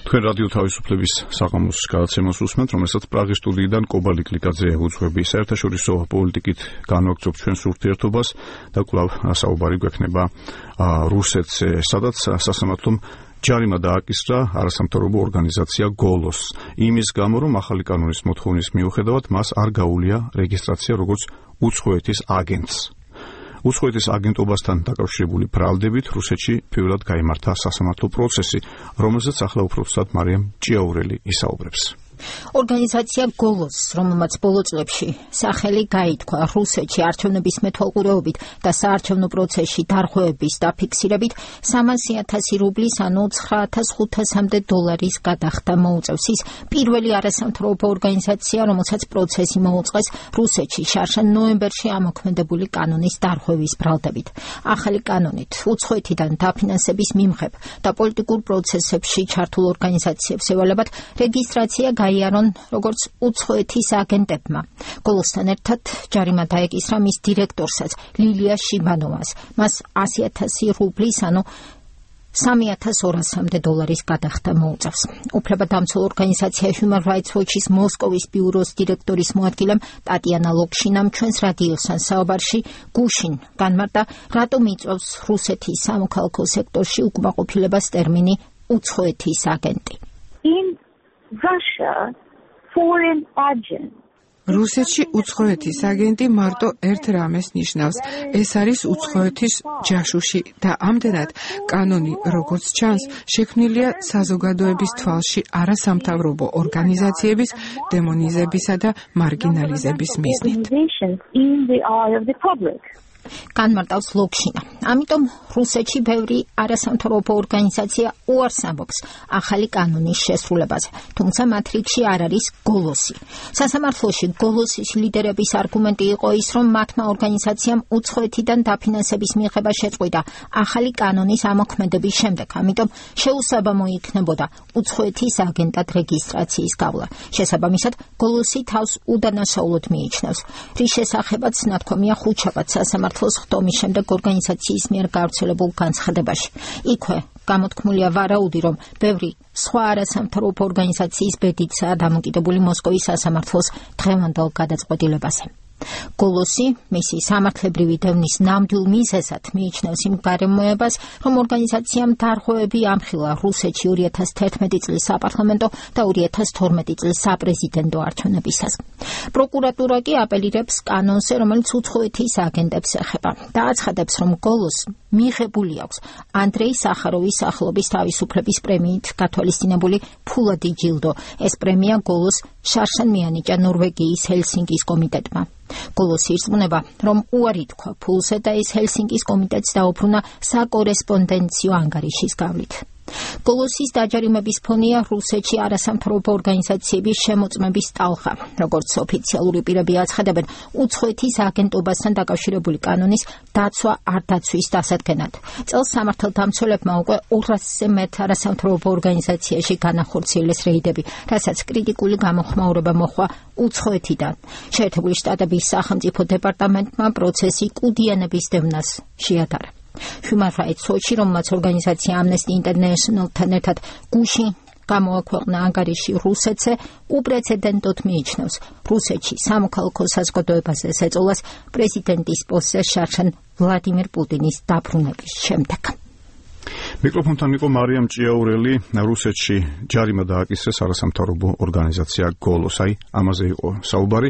თქვენ რადიო თავისუფლების საღამოს გადაცემას უსმენთ, რომელსაც პრაღის სტუდიიდან კობალი კლიკაძე უძღვები საერთაშორისო პოლიტიკით განვაგრძობ ჩვენს ურთიერთობას და კვლავ საუბარი გვექნება რუსეთზე, სადაც სასამართლომ ჯარიმა დააკისრა არასამთავრობო ორგანიზაცია გოლოს იმის გამო, რომ ახალი კანონის მოთხოვნის მიუხედავად მას არ გაუვლია რეგისტრაცია როგორც უცხოეთის აგენტს. უცხოეთის აგენტობასთან დაკავშირებული ბრალდებით რუსეთში პირველად გაიმართა სასამართლო პროცესი, რომელზეც ახლა უფრო ცუდად მარიამ ჭიაურელი ისაუბრებს. ორგანიზაცია გოლოს, რომელმაც ბოლო წლებში სახელი გაითქვა რუსეთში არჩევნების მეთვალყურეობით და საარჩევნო პროცესში დარღვევების დაფიქსირებით 300,000 რუბლის, ანუ $9,500 გადახდა მოუწევს. ის პირველი არასამთავრობო ორგანიზაცია, რომელსაც პროცესი მოუწყეს რუსეთში შარშან ნოემბერში ამოქმედებული კანონის დარღვევის ბრალდებით. ახალი კანონით უცხოეთიდან დაფინანსების მიმღებ და პოლიტიკურ პროცესებში ჩართულ ორგანიზაციებს ევალებათ რეგისტრაცია გაიარონ როგორც უცხოეთის აგენტებმა. გოლოსთან ერთად ჯარიმა დაეკისრა მის დირექტორსაც ლილია შიბანოვას. მას 100,000 რუბლის, ანუ $3,200 გადახდა მოუწევს. უფლებადამცველ ორგანიზაცია Human Rights Watch-ის მოსკოვის ბიუროს დირექტორის მოადგილემ ტატიანა ლოქშინამ ჩვენს რადიოსთან საუბარში გუშინ განმარტა, რატომ იწვევს რუსეთის სამოქალაქო სექტორში უკმაყოფილებას ტერმინი უცხოეთის აგენტი. რუსეთში უცხოეთის აგენტი მარტო ერთ რამეს ნიშნავს, ეს არის უცხოეთის ჯაშუში და ამდენად კანონი, როგორც ჩანს, შექმნილია საზოგადოების თვალში არასამთავრობო ორგანიზაციების დემონიზებისა და მარგინალიზების მიზნით. განმარტავს ლოქშინა. ამიტომ რუსეთში ბევრი არასამთავრობო ორგანიზაცია უარს ამბობს ახალი კანონის შესრულებაზე, თუმცა მათ რიგში არ არის გოლოსი. სასამართლოში გოლოსის ლიდერების არგუმენტი იყო ის, რომ მათმა ორგანიზაციამ უცხოეთიდან დაფინანსების მიღება შეწყვიტა ახალი კანონის ამოქმედების შემდეგ, ამიტომ შეუსაბამო იქნებოდა უცხოეთის აგენტად რეგისტრაციის გავლა. შესაბამისად, გოლოსი თავს უდანაშაულოდ მიიჩნევს, რის შესახებაც ნათქვამია ხუთშაბათ სასამართლოს ხდომის შემდეგ ორგანიზაციის მიერ გავრცელებულ განცხადებაში. იქვე გამოთქმულია ვარაუდი, რომ ბევრი სხვა არასამთავრობო ორგანიზაციის ბედიცაა დამოკიდებული მოსკოვის სასამართლოს დღევანდელ გადაწყვეტილებაზე. გოლოსი მისი სამართლებრივი დევნის ნამდვილ მიზეზად მიიჩნევს იმ გარემოებას, რომ ორგანიზაციამ დარღვევები ამხილა რუსეთში 2011 წლის საპარლამენტო და 2012 წლის საპრეზიდენტო არჩევნებისას. პროკურატურა კი აპელირებს კანონზე, რომელიც უცხოეთის აგენტებს ეხება და აცხადებს, რომ გოლოს მიღებული აქვს ანდრეი სახაროვის სახელობის თავისუფლების პრემიით გათვალისწინებული ფულადი ჯილდო. ეს პრემია გოლოს შარშან მიანიჭა ნორვეგიის ჰელსინკის კომიტეტმა. გოლოსი ირწმუნება, რომ უარი თქვა ფულზე და ეს ჰელსინკის კომიტეტს დაუბრუნა საკორესპონდენციო ანგარიშის გავლით. გოლოსის დაჯარიმების ფონია რუსეთში არასამთავრობო ორგანიზაციების შემოწმების ტალღა. როგორც ოფიციალური პირები აცხადებენ, უცხოეთის აგენტობასთან დაკავშირებული კანონის დაცვა არ დაცვის დასადგენად. წელს სამართალდამცველებმა უკვე 200-ზე მეტ არასამთავრობო ორგანიზაციაში განახორციელეს რეიდები, რასაც კრიტიკული გამოხმაურება მოჰყვა უცხოეთიდან. შეერთებული შტატების სახელმწიფო დეპარტამენტმა პროცესი კუდიანების დევნას შეადარა. Human Rights Watch-ი, რომელმაც ორგანიზაცია Amnesty International-თან ერთად გუშინ გამოაქვეყნა ანგარიში რუსეთზე, უპრეცედენტოდ მიიჩნევს რუსეთში სამოქალაქო საზოგადოებაზე ზეწოლას პრეზიდენტის პოსტზე შარშან ვლადიმირ პუტინის დაბრუნების შემდეგ. მიკროფონთან იყო მარიამ ჭიაურელი. რუსეთში ჯარიმა დააკისრეს არასამთავრობო ორგანიზაცია გოლოს. ამაზე იყო საუბარი.